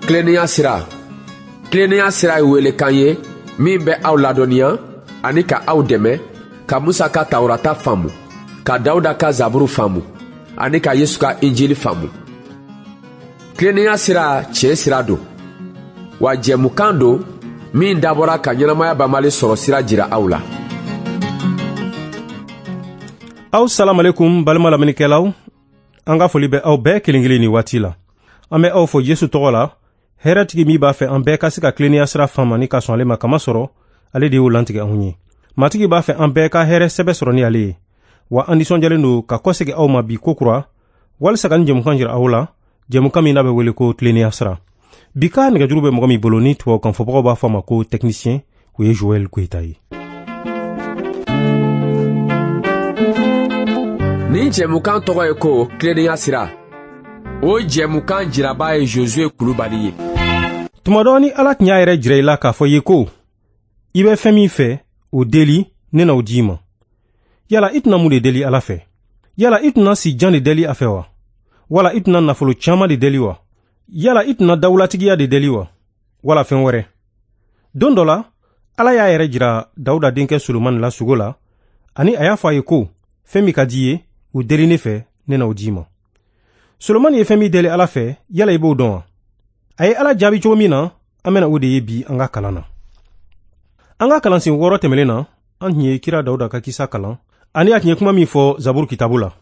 Tilennenya sira. Tilennenya sira ye welekan ye min bɛ aw ladɔnniya ani ka aw dɛmɛ ka Musa ka Tawurata faamu, ka Dawuda ka Zaburu faamu ani ka Yesu ka Injili faamu. Tilennenya sira tiɲɛ sira don, wa jɛmukan don min dabɔra ka ɲɛnamaya banbali sɔrɔ sira jira aw la. Aw salamalekum balima lamɛnnikɛlaw, an ka foli bɛ aw bɛɛ kelen kelen ni waati la. An bɛ aw fo Yesu tɔgɔ la, hɛrɛtigi min b'a fɛ an bɛɛ ka se ka tilennenya sira faamu ani ka sɔn ale ma, kamasɔrɔ ale de y'o lantigɛ anw ye. Matigi b'a fɛ an bɛɛ ka hɛrɛ sɛbɛ sɔrɔ ni ale ye. Wa an nisɔndiyalen don ka kɔsegin aw ma bi kokura walisa ka nin jɛmukan jira aw la, jɛmukan min n'a bɛ wele ko tilennenya sira. Bi ka nɛgɛjuru bɛ mɔgɔ min bolo ni tubabukan fɔbagaw b'a fɔ a ma ko technicien, o ye Joël Goyita ye. Nin jɛmukan tɔgɔ ye ko tilennenya sira. O jɛmukan jiraba ye Josue Kulubali ye. Tuma dɔ ni Ala tun y'a yɛrɛ jira i la k'a fɔ i ye ko i bɛ fɛn min fɛ, o deli, ne na o di i ma. Yala i tɛna mun de deli Ala fɛ? Yala i tɛna si jan de deli a fɛ wa? Wala i tɛna nafolo caman de deli wa? Yala i tɛna dawulatigiya de deli wa? Wala fɛn wɛrɛ? Don dɔ la, Ala y'a yɛrɛ jira Dawuda denkɛ Solomani la sugo la, ani a y'a fɔ a ye ko fɛn min ka di i ye, o deli ne fɛ, ne na o di i ma. Solomani ye fɛn min deli Ala fɛ, yala i b'o dɔn wa? A ye Ala jaabi cogo min na, an bɛna o de ye bi an ka kalan na. An ka kalansen 6 tɛmɛnen na, an tun ye kira Dawuda ka kisa kalan, ani a tun ye kuma min fɔ Zaburu kitabu la.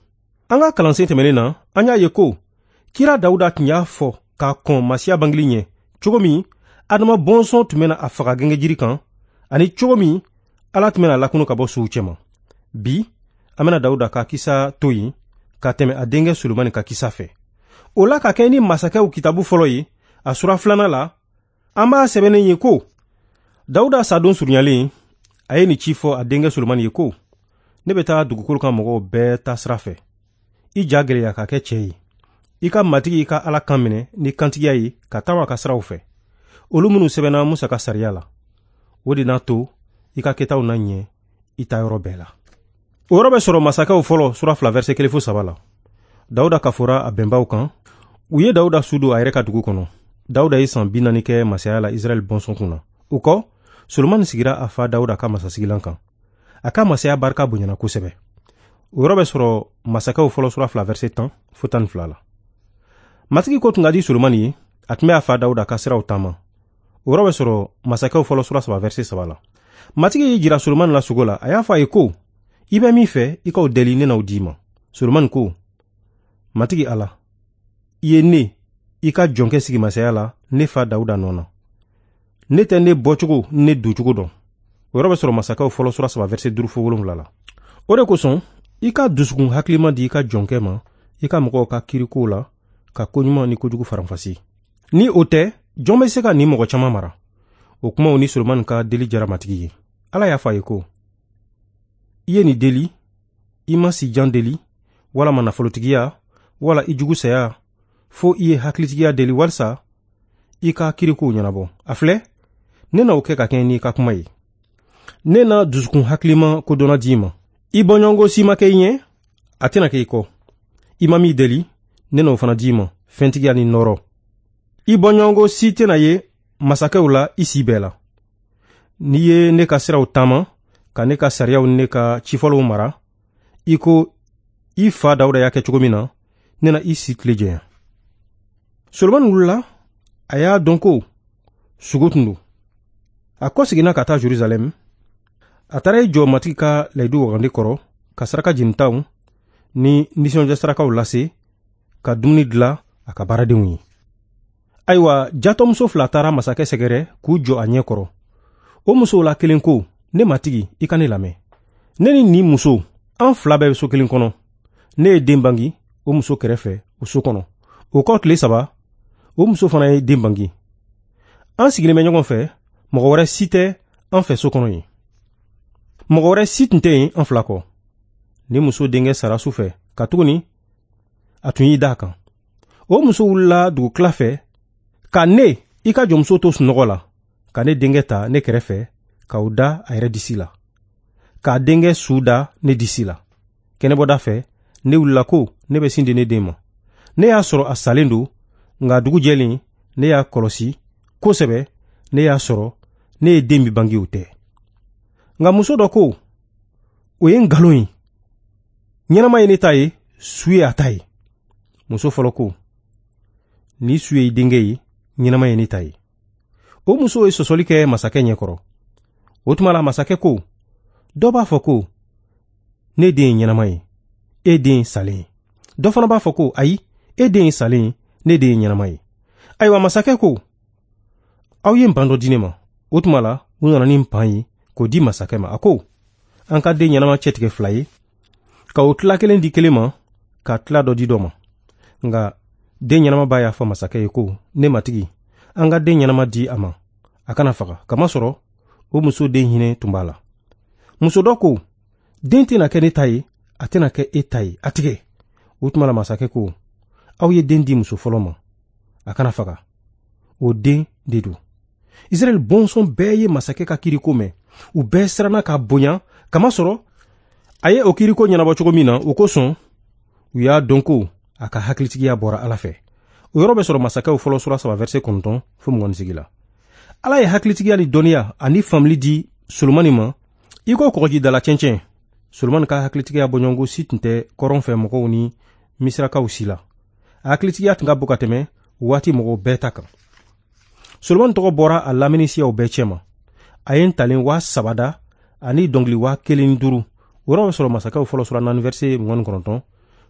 An ka kalansen tɛmɛnen na, an y'a ye ko kira Dawuda tun y'a fɔ k'a kɔn Masiya bangeli ɲɛ, cogo min Adama bɔnsɔn tun bɛna a faga gɛngɛjiri kan, ani cogo min Ala tun bɛna lakunu ka bɔ suw cɛma. Bi, an bɛna Dawuda ka kisa to yen ka tɛmɛ a denkɛ Solomani ka kisa fɛ. O la ka kɛ ni masakɛw kitabu fɔlɔ ye, a sura 2 la, an b'a sɛbɛnnen ye ko Dawuda sadon surunyalen, a ye nin ci fɔ a denkɛ Solomani ye ko ne bɛ taa dugukolo kan mɔgɔw bɛɛ ta sira fɛ. I ja gɛlɛya ka kɛ cɛ ye. I ka Matigi i ka Ala kan minɛ ni kantigiya ye ka taama ka siraw fɛ, olu minnu sɛbɛnna Musa ka sariya la. O de n'a to i ka kɛtaw na ɲɛ i ta yɔrɔ bɛɛ la. O yɔrɔ bɛ sɔrɔ masakɛw fɔlɔ sura 2 verset 1 fo 3 la. Dawuda kafora a bɛnbaw kan. U ye Dawuda su don a yɛrɛ ka dugu kɔnɔ. Dawuda ye san 40 kɛ masaya la Israɛl bɔnsɔn kun na. O kɔ, Solomani sigira a fa Dawuda ka masasigilan kan. A ka masaya barika bonyana kosɛbɛ. O yɔrɔ bɛ sɔrɔ masakɛw fɔlɔ sura 2 verset 10 fo 12 la. Matigi ko tun ka di Solomani ye, a tun bɛ a fa Dawuda ka siraw taama. O yɔrɔ bɛ sɔrɔ masakɛw fɔlɔ sura 3 verset 3 la. Matigi y'i jira Solomani la sugo la, a y'a fɔ a ye ko i bɛ min fɛ, i k'o deli, ne n'o d'i ma. Solomani ko, Matigi Ala, i ye ne, i ka jɔnkɛ sigi masaya la, ne fa Dawuda nɔ na. Ne tɛ ne bɔcogo ni ne doncogo dɔn. O yɔrɔ bɛ sɔrɔ masakɛw fɔlɔ sura 3 verset 5 fo 7 la. O de kosɔn, i ka dusukun hakilima di i ka jɔnkɛ ma, i ka mɔgɔw ka kirikow la, ka koɲuman ni kojugu faranfasi. Ni o tɛ, jɔn bɛ se ka nin mɔgɔ caman mara? O kumaw ni Solomani ka deli jara Matigi ye. Ala y'a fɔ a ye ko, i ye nin deli, i ma si jan deli, walama nafolotigiya, wala i jugu saya, fo i ye hakilitigiya deli walisa i ka kirikow ɲɛnabɔ. A filɛ, ne na o kɛ ka kɛɲɛ n'i ka kuma ye. Ne na dusukun hakilima kodɔnna d'i ma. I bɔɲɔgɔnko si ma kɛ i ɲɛ, a tɛna kɛ i kɔ. I ma min deli, ne na o fana d'i ma, fɛntigiya ni nɔɔrɔ. I bɔɲɔgɔnko si tɛna ye masakɛw la i si bɛɛ la. N'i ye ne ka siraw taama, ka ne ka sariyaw ni ne ka cifɔlenw mara, i ko i fa Dawuda y'a kɛ cogo min na, ne na i si tile janya. Solomani wulila, a y'a dɔn ko sugo tun don. A kɔseginna ka taa Jerusalɛm. A taara i jɔ Matigi ka layidu wagande kɔrɔ, ka saraka jenitaw ni nisɔndiya sarakaw lase, ka dumuni dilan a ka baaradenw ye. Ayiwa, jatɔmuso 2 taara masakɛ sɛgɛrɛ k'u jɔ a ɲɛ kɔrɔ. O musow la kelen ko, ne matigi, i ka ne lamɛn. Ne ni nin muso, an 2 bɛɛ bɛ so kelen kɔnɔ. Ne ye den bangi o muso kɛrɛfɛ o so kɔnɔ. O kɔ tile 3, o muso fana ye den bangi. An sigilen bɛ ɲɔgɔn fɛ, mɔgɔ wɛrɛ si tɛ an fɛ so kɔnɔ yen. Mɔgɔ wɛrɛ si tun tɛ yen an 2 kɔ. Ni muso denkɛ sara su fɛ, katuguni a tun y'i da a kan. O muso wulila dugukila fɛ ka ne, i ka jɔnmuso to sunɔgɔ la, ka ne denkɛ ta ne kɛrɛfɛ, k'o da a yɛrɛ disi la, k'a denkɛ su da ne disi la. Kɛnɛbɔda fɛ, ne wulila ko ne bɛ sin di ne den ma. Ne y'a sɔrɔ a salen don, nka dugu jɛlen Ne y'a kɔlɔsi kosɛbɛ, ne y'a sɔrɔ ne ye den min bange o tɛ. Nka muso dɔ ko, o ye nkalon ye, ɲɛnama ye ne ta ye, su ye a ta ye. Muso fɔlɔ ko, ni su ye i denkɛ ye, ɲɛnama ye ne ta ye. O muso ye sɔsɔli kɛ masakɛ ɲɛkɔrɔ. O tuma la masakɛ ko, dɔ b'a fɔ ko ne den ye ɲɛnama ye, e den ye salen ye. Dɔ fana b'a fɔ ko ayi, e den ye salen ye, ne den ye ɲɛnama ye. Ayiwa masakɛ ko, aw ye npan dɔ di ne ma. O tuma la u nana ni npan ye k'o di masakɛ ma. A ko, an ka den ɲɛnama cɛtigɛ 2 ye, ka o tila kelen di kelen ma, ka tila dɔ di dɔ ma. Nka den ɲɛnama ba y'a fɔ masakɛ ye ko, ne matigi, an ka den ɲɛnama di a ma, a kana faga, kamasɔrɔ o muso den hinɛ tun b'a la. Muso dɔ ko, den tɛna kɛ ne ta ye, a tɛna kɛ e ta ye, a tigɛ. O tuma la masakɛ ko, aw ye den di muso fɔlɔ ma, a kana faga, o den de don. Israɛl bɔnsɔn bɛɛ ye masakɛ ka kiriko mɛn, u bɛɛ siranna k'a bonya, kamasɔrɔ a ye o kiriko ɲɛnabɔ cogo min na, o kosɔn u y'a dɔn ko a ka hakilitigiya bɔra Ala fɛ. O yɔrɔ bɛ sɔrɔ masakɛw fɔlɔ sura 3 verset 9 fo 28 la. Ala ye hakilitigiya ni dɔnniya ani faamuli di Solomani ma i ko kɔgɔjidala cɛncɛn. Solomani ka hakilitigiya bɔɲɔgɔnko si tun tɛ kɔrɔn fɛ mɔgɔw ni misirakaw si la. A hakilitigiya tun ka bon ka tɛmɛ waati mɔgɔw bɛɛ ta kan. Solomani tɔgɔ bɔra a lamini siyaw bɛɛ cɛma. A ye ntalen 3000 da ani dɔnkili 1005. O yɔrɔ bɛ sɔrɔ masakɛw fɔlɔ sura 4 verset 29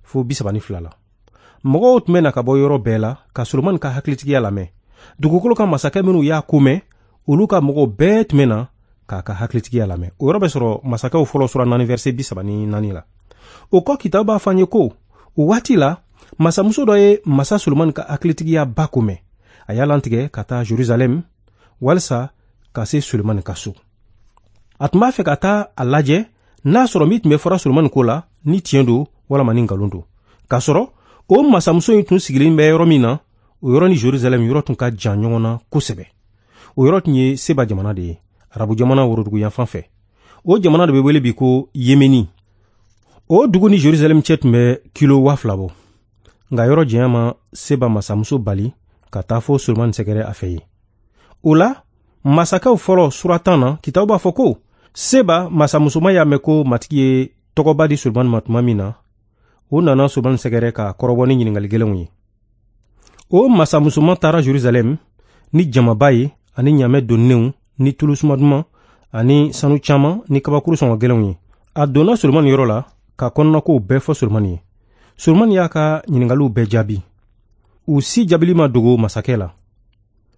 fo 32 la. Mɔgɔw tun bɛ na ka bɔ yɔrɔ bɛɛ la ka Solomani ka hakilitigiya lamɛn. Dugukolo kan masakɛ minnu y'a ko mɛn, olu ka mɔgɔw bɛɛ tun bɛ na k'a ka hakilitigiya lamɛn. O yɔrɔ bɛ sɔrɔ masakɛw fɔlɔ sura 4 verset 34 la. O kɔ kitabu b'a fɔ an ye ko o waati la masamuso dɔ ye masa Solomani ka hakilitigiya ba ko mɛn. A y'a lantigɛ ka taa Jerusalɛm walisa ka se Solomani ka so. A tun b'a fɛ ka taa a lajɛ n'a sɔrɔ min tun bɛ fɔra Solomani ko la ni tiɲɛ don walama ni nkalon don. K'a sɔrɔ o masamuso in tun sigilen bɛ yɔrɔ min na, o yɔrɔ ni Jerusalɛm yɔrɔ tun ka jan ɲɔgɔn na kosɛbɛ. O yɔrɔ tun ye Seba jamana de ye, Arabu jamana worodugu yanfan fɛ. O jamana de bɛ wele bi ko Yemeni. O dugu ni Jerusalɛm cɛ tun bɛ kilo 2000 bɔ. Nka yɔrɔ janya ma Seba masamuso bali ka taa fo Solomani sɛgɛrɛ a fɛ yen. O la, masakɛw fɔlɔ sura 10 na, kitabu b'a fɔ ko Seba masamusoma y'a mɛn ko matigi ye tɔgɔba di Solomani ma tuma min na, o nana Solomani sɛgɛrɛ k'a kɔrɔbɔ ni ɲininkali gɛlɛnw ye. O masamusoma taara Jerusalɛm ni jamaba ye ani ɲamɛ donnenw ni tulu suma duman ani sanu caman ni kabakuru sɔngɔ gɛlɛnw ye. A donna Solomani yɔrɔ la ka kɔnɔnakow bɛɛ fɔ Solomani ye. Solomani y'a ka ɲininkaliw bɛɛ jaabi. U si jaabili ma dogo masakɛ la.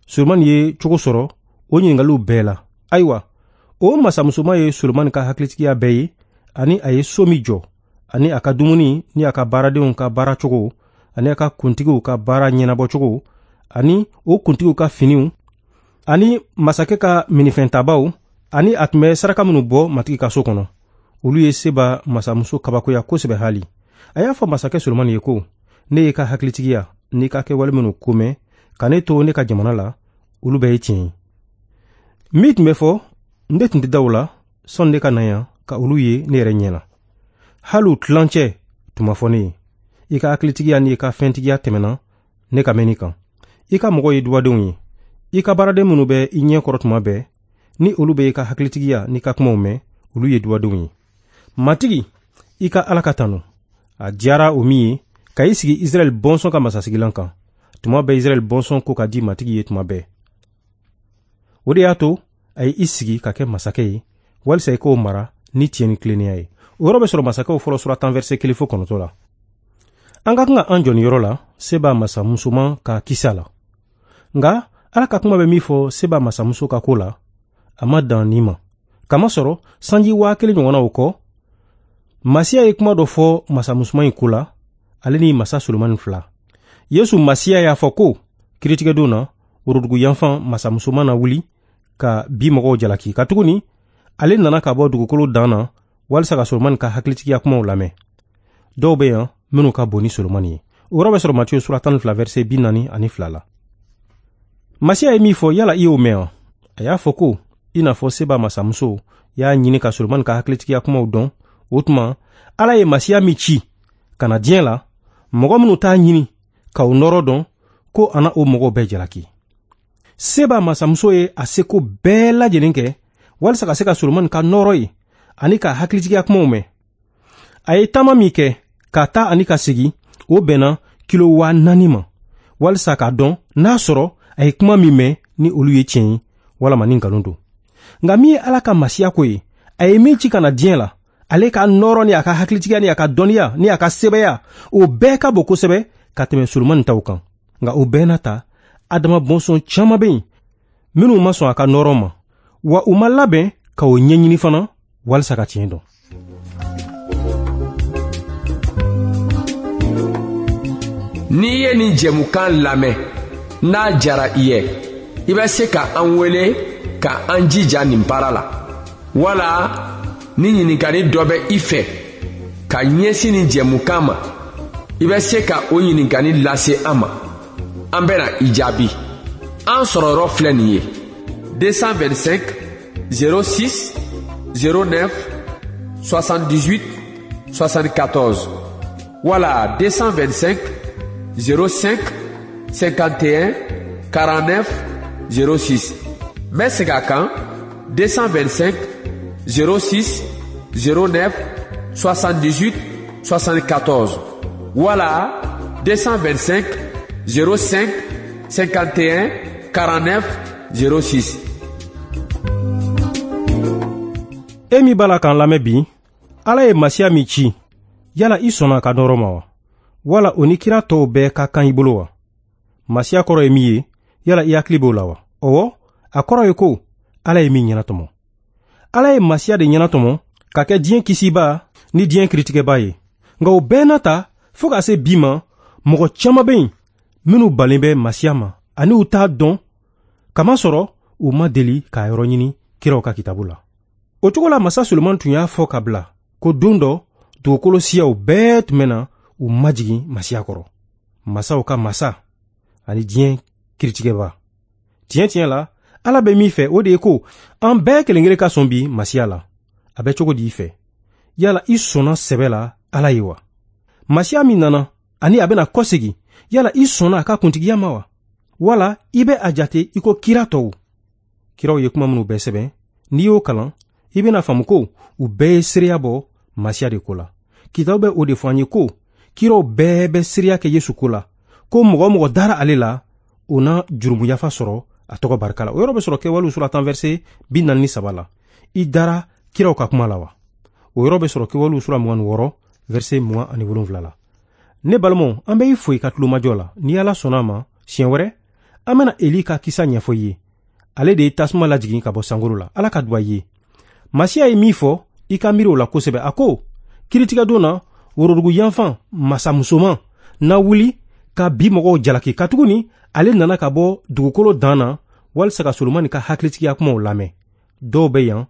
Solomani ye cogo sɔrɔ o ɲininkaliw bɛɛ la. Ayiwa, o masamusoma ye Solomani ka hakilitigiya bɛɛ ye ani a ye so min jɔ, ani a ka dumuni ni a ka baaradenw ka baara cogo, ani a ka kuntigiw ka baara ɲɛnabɔcogo, ani o kuntigiw ka finiw, ani masakɛ ka minifɛntabaw, ani a tun bɛ saraka minnu bɔ matigi ka so kɔnɔ. Olu ye Seba masamuso kabakoya kosɛbɛ hali. A y'a fɔ masakɛ Solomani ye ko, ne ye ka hakilitigiya n'i ka kɛwale minnu ko mɛn ka ne to ne ka jamana la, olu bɛɛ ye tiɲɛ ye. Min tun bɛ fɔ, ne tun tɛ da o la sɔnni ne ka na yan ka olu ye ne yɛrɛ ɲɛ na. Hali u tilancɛ tun ma fɔ ne ye. I ka hakilitigiya n'i ka fɛntigiya tɛmɛna ne ka mɛnni kan. I ka mɔgɔw ye dubadenw ye. I ka baaraden minnu bɛ i ɲɛ kɔrɔ tuma bɛɛ, ni olu bɛ i ka hakilitigiya n'i ka kumaw mɛn, olu ye dubadenw ye. Matigi, i ka Ala ka tanu. A diyara o min ye ka i sigi Israɛl bɔnsɔn ka masasigilan kan. Tuma bɛɛ Israɛl bɔnsɔn ko ka di matigi ye tuma bɛɛ. O de y'a to a ye i sigi ka kɛ masakɛ ye, walisa i k'o mara ni tiɲɛ ni tilennenya ye. O yɔrɔ bɛ sɔrɔ masakɛw fɔlɔ sura 10 verset 1 fo 9 la. An ka kan ka an jɔ nin yɔrɔ la Seba masamusoman ka kisa la. Nka Ala ka kuma bɛ min fɔ Seba masamuso ka ko la, a ma dan nin ma. Kamasɔrɔ sanji 1000 ɲɔgɔnna o kɔ, Masiya ye kuma dɔ fɔ masamusoman in ko la, ale ni masa Solomani fila. Yesu Masiya y'a fɔ ko kiritigɛdon na, worodugu yanfan masamusoman na wuli ka bi mɔgɔw jalaki. Katuguni ale nana ka bɔ dugukolo dan na walisa ka Solomani ka hakilitigiya kumaw lamɛn. Dɔw bɛ yan minnu ka bon ni Solomani ye. O yɔrɔ bɛ sɔrɔ Matiyo sura 12 verset 42 la. Masiya ye min fɔ, yala i y'o mɛn wa? A y'a fɔ ko i n'a fɔ Seba masamuso y'a ɲini ka Solomani ka hakilitigiya kumaw dɔn, o tuma Ala ye Masiya min ci ka na diɲɛ la, mɔgɔ minnu t'a ɲini ka o nɔrɔ dɔn, ko a na o mɔgɔw bɛɛ jalaki. Seba masamuso ye a seko bɛɛ lajɛlen kɛ walisa ka se ka Solomani ka nɔɔrɔ ye ani ka hakilitigiya kumaw mɛn. A ye taama min kɛ ka taa ani ka segin, o bɛnna kilo 4000 ma, walisa k'a dɔn n'a sɔrɔ a ye kuma min mɛn ni olu ye tiɲɛ ye walama ni nkalon don. Nka min ye Ala ka masiya ko ye, a ye min ci ka na diɲɛ la, ale ka nɔɔrɔ ni a ka hakilitigiya ni a ka dɔnniya ni a ka sebaya, o bɛɛ ka bon kosɛbɛ ka tɛmɛ Solomani taw kan. Nka o bɛɛ n'a ta, Adama bɔnsɔn caman bɛ yen minnu ma sɔn a ka nɔɔrɔ ma, wa u ma labɛn ka o ɲɛɲini fana walisa ka tiɲɛ dɔn. N'i ye nin jɛmukan lamɛn, n'a jara i ye, i bɛ se ka an wele ka an jija nin baara la. Wala ni ɲininkali dɔ bɛ i fɛ ka ɲɛsin nin jɛmukan ma, i bɛ se ka o ɲininkali lase an ma. An bɛna i jaabi. An sɔrɔ yɔrɔ filɛ nin ye: 225 06 09 78 74 wala 225 05 51 49 06. N bɛ segin a kan: 225 06 09 78 74 wala 225 05 51 49 06. E min b'a la k'an lamɛn bi, Ala ye Masiya min ci, yala i sɔnna a ka nɔɔrɔ ma wa? Wala o ni kira tɔw bɛɛ ka kan i bolo wa? Masiya kɔrɔ ye min ye, yala i hakili b'o la wa? Ɔwɔ, a kɔrɔ ye ko Ala ye min ɲɛnatɔmɔ. Ala ye Masiya de ɲɛnatɔmɔ ka kɛ diɲɛ kisiba ni diɲɛ kiritigɛba ye. Nka o bɛɛ n'a ta, fo ka se bi ma, mɔgɔ caman bɛ yen minnu balen bɛ Masiya ma ani u t'a dɔn, kamasɔrɔ u ma deli k'a yɔrɔ ɲini kiraw ka kitabu la. O cogo la, masa Solomani tun y'a fɔ ka bila ko don dɔ dugukolo siyaw bɛɛ tun bɛ na u majigin Masiya kɔrɔ, masaw ka masa ani diɲɛ kiritigɛba. Tiɲɛ tiɲɛ la, Ala bɛ min fɛ o de ye ko an bɛɛ kelen kelen ka sɔn bi Masiya la. A bɛ cogo di i fɛ? Yala i sɔnna sɛbɛ la Ala ye wa? Masiya min nana ani a bɛna kɔsegin, yala i sɔnna a ka kuntigiya ma wa? Wala i bɛ a jate i ko kira tɔw? Kiraw ye kuma minnu bɛɛ sɛbɛn, n'i y'o kalan, i bɛna faamu ko u bɛɛ ye seereya bɔ Masiya de ko la. Kitabu bɛ o de fɔ an ye ko kiraw bɛɛ bɛ seereya kɛ Yesu ko la, ko mɔgɔ o mɔgɔ dara ale la, o na jurumuyafa sɔrɔ a tɔgɔ barika la. O yɔrɔ bɛ sɔrɔ Kɛwalew sura 10 verset 43 la. I dara kiraw ka kuma la wa? O yɔrɔ bɛ sɔrɔ Kɛwalew sura 26 verset 27 la. Ne balimaw, an bɛ i fo i ka tulomajɔ la. Ni Ala sɔnna a ma, siɲɛ wɛrɛ an bɛna Eli ka kisa ɲɛfɔ i ye. Ale de ye tasuma lajigin ka bɔ sankolo la. Ala ka duba i ye. Masiya ye min fɔ, i ka miiri o la kosɛbɛ. A ko kiritigɛdon na, worodugu yanfan masamusoman na wuli ka bi mɔgɔw jalaki, katuguni ale nana ka bɔ dugukolo dan na walisa ka Solomani ka hakilitigiya kumaw lamɛn. Dɔw bɛ yan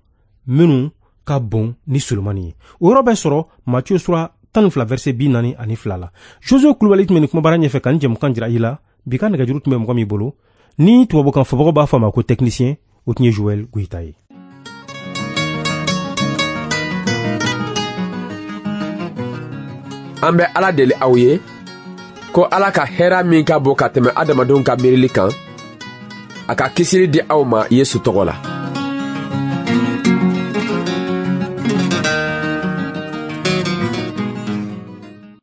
minnu ka bon ni Solomani ye. O yɔrɔ bɛ sɔrɔ Matiyu sura 12 verset 42 la. Josue Kulubali tun bɛ nin kumabara ɲɛfɛ ka nin jɛmukan jira i la. Bi ka nɛgɛjuru tun bɛ mɔgɔ min bolo, ni tubabukan fɔbagaw b'a fɔ a ma ko technicien, o tun ye Joël Goyita ye. An bɛ Ala deli aw ye ko Ala ka hɛrɛ min ka bon ka tɛmɛ adamadenw ka miirili kan, a ka kisili di aw ma Yesu tɔgɔ la.